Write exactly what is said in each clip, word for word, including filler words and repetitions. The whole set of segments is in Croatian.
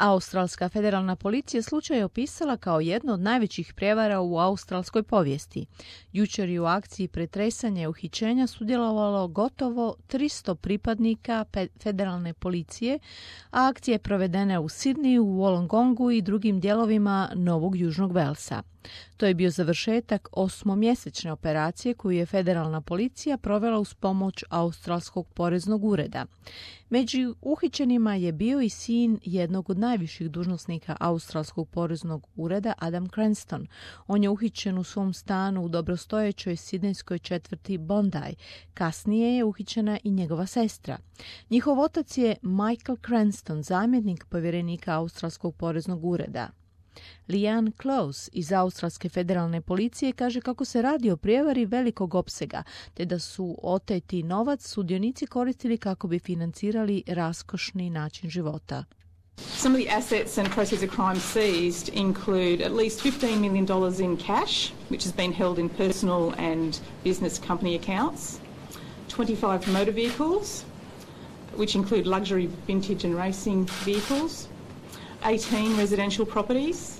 Australska federalna policija slučaj je opisala kao jedno od najvećih prijevara u australskoj povijesti. Jučer je u akciji pretresanja i uhićenja sudjelovalo gotovo tristo pripadnika federalne policije, a akcija je provedena u Sidneyu, Wollongongu i drugim dijelovima Novog Južnog Velsa. To je bio završetak osmomjesečne operacije koju je federalna policija provela uz pomoć Australskog poreznog ureda. Među uhićenima je bio i sin jednog od najviših dužnosnika Australskog poreznog ureda, Adam Cranston. On je uhićen u svom stanu u dobrostojećoj sidnejskoj četvrti Bondi. Kasnije je uhićena i njegova sestra. Njihov otac je Michael Cranston, zamjenik povjerenika Australskog poreznog ureda. Leanne Close iz Australske federalne policije kaže kako se radi o prijevari velikog opsega, te da su oteti novac sudionici koristili kako bi financirali raskošni način života. Some of the assets and proceeds of crime seized include at least fifteen million dollars in cash, which has been held in personal and business company accounts, twenty-five motor vehicles, which include luxury vintage and racing vehicles, eighteen residential properties.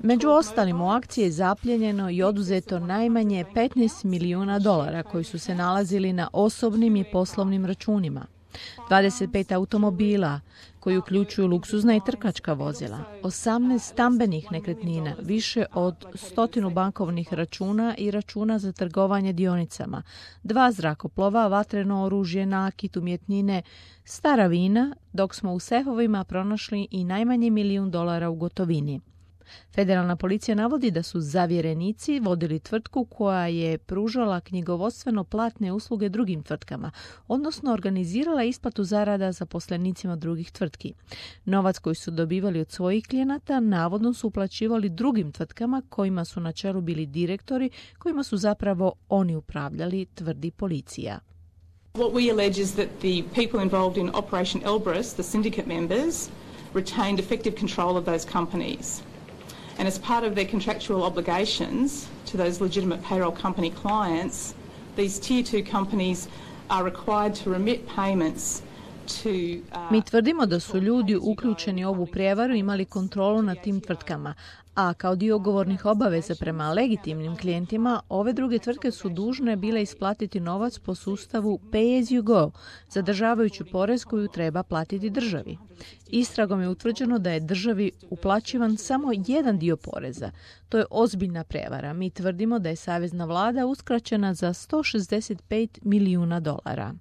Među ostalim u akciji je zapljenjeno i oduzeto najmanje petnaest milijuna dolara koji su se nalazili na osobnim i poslovnim računima. dvadeset pet automobila koji uključuju luksuzna i trkačka vozila, osamnaest stambenih nekretnina, više od stotinu bankovnih računa i računa za trgovanje dionicama, dva zrakoplova, vatreno oružje, nakit, umjetnine, stara vina, dok smo u sefovima pronašli i najmanje milijun dolara u gotovini. Federalna policija navodi da su zavjerenici vodili tvrtku koja je pružala knjigovodstveno platne usluge drugim tvrtkama, odnosno organizirala isplatu zarada zaposlenicima drugih tvrtki. Novac koji su dobivali od svojih klijenata navodno su uplaćivali drugim tvrtkama kojima su na čelu bili direktori, kojima su zapravo oni upravljali, tvrdi policija. What we allege is that the people involved in Operation Elbrus, the syndicate members, retained effective control of those companies. And as part of their contractual obligations to those legitimate payroll company clients, these tier two companies are required to remit payments to, uh, Mi tvrdimo da su ljudi uključeni u ovu prijevaru imali kontrolu nad tim tvrtkama, a kao dio ugovornih obaveza prema legitimnim klijentima, ove druge tvrtke su dužne bile isplatiti novac po sustavu pay as you go, zadržavajući porez koju treba platiti državi. Istragom je utvrđeno da je državi uplaćivan samo jedan dio poreza. To je ozbiljna prevara. Mi tvrdimo da je savezna vlada uskraćena za sto šezdeset pet milijuna dolara.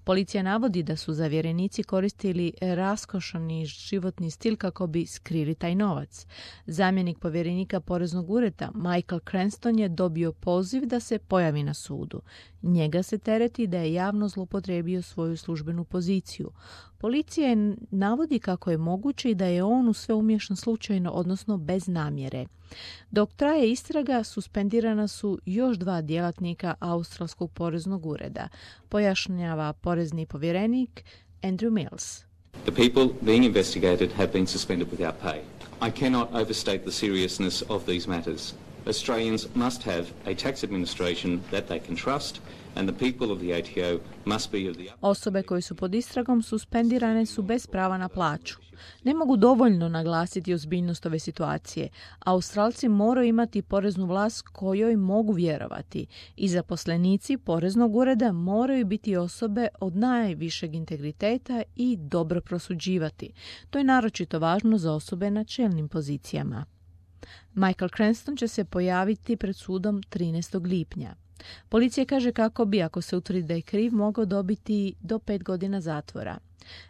Policija navodi da su zavjerenici koristili raskošani životni stil kako bi skrili taj novac. Zamjenik povjerenika poreznog ureda Michael Cranston je dobio poziv da se pojavi na sudu. Njega se tereti da je javno zloupotrijebio svoju službenu poziciju. Policija je navodi kako je moguće i da je on u sve umiješan slučajno, odnosno bez namjere. Dok traje istraga, suspendirana su još dva djelatnika Australskog poreznog ureda, pojašnjava porezni povjerenik Andrew Mills. The people being investigated have been suspended without pay. I cannot overstate the seriousness of these matters. Australians must have a tax administration that they can trust, and the people of the A T O must be of the... Osobe koje su pod istragom suspendirane su bez prava na plaću. Ne mogu dovoljno naglasiti ozbiljnost ove situacije. Australci moraju imati poreznu vlast kojoj mogu vjerovati i zaposlenici poreznog ureda moraju biti osobe od najvišeg integriteta i dobro prosuđivati. To je naročito važno za osobe na čelnim pozicijama. Michael Cranston će se pojaviti pred sudom trinaestog lipnja. Policija kaže kako bi, ako se utvrdi da je kriv, mogao dobiti do pet godina zatvora.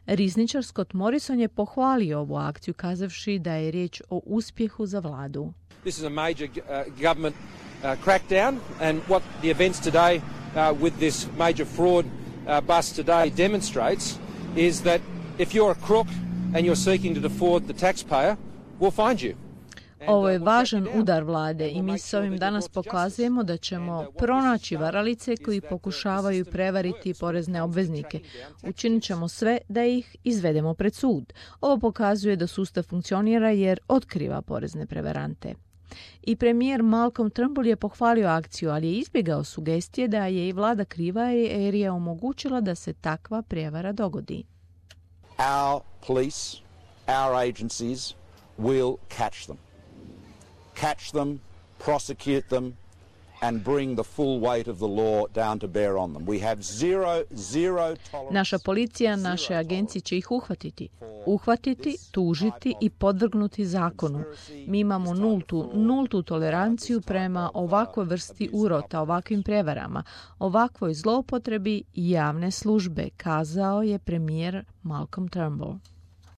Rizničar Scott Morrison je pohvalio ovu akciju, kazavši da je riječ o uspjehu za vladu. This is a major uh, government uh, crackdown, and what the events today uh, with this major fraud uh, bust today demonstrates is that if you're a crook and you're seeking to defraud the taxpayer, we'll find you. Ovo je važan udar vlade i mi s ovim danas pokazujemo da ćemo pronaći varalice koji pokušavaju prevariti porezne obveznike. Učinit ćemo sve da ih izvedemo pred sud. Ovo pokazuje da sustav funkcionira jer otkriva porezne prevarante. I premijer Malcolm Turnbull je pohvalio akciju, ali je izbjegao sugestije da je i vlada kriva jer je omogućila da se takva prijevara dogodi. Our police, our agencies will catch them. Catch them, prosecute them, and bring the full weight of the law down to bear on them. We have zero, zero tolerance. Naša policija, naše agencije će ih uhvatiti. Uhvatiti, tužiti i podvrgnuti zakonu. Mi imamo nultu, nultu toleranciju prema ovakvoj vrsti urota, ovakvim prevarama, ovakvoj zloupotrebi javne službe, kazao je premijer Malcolm Turnbull.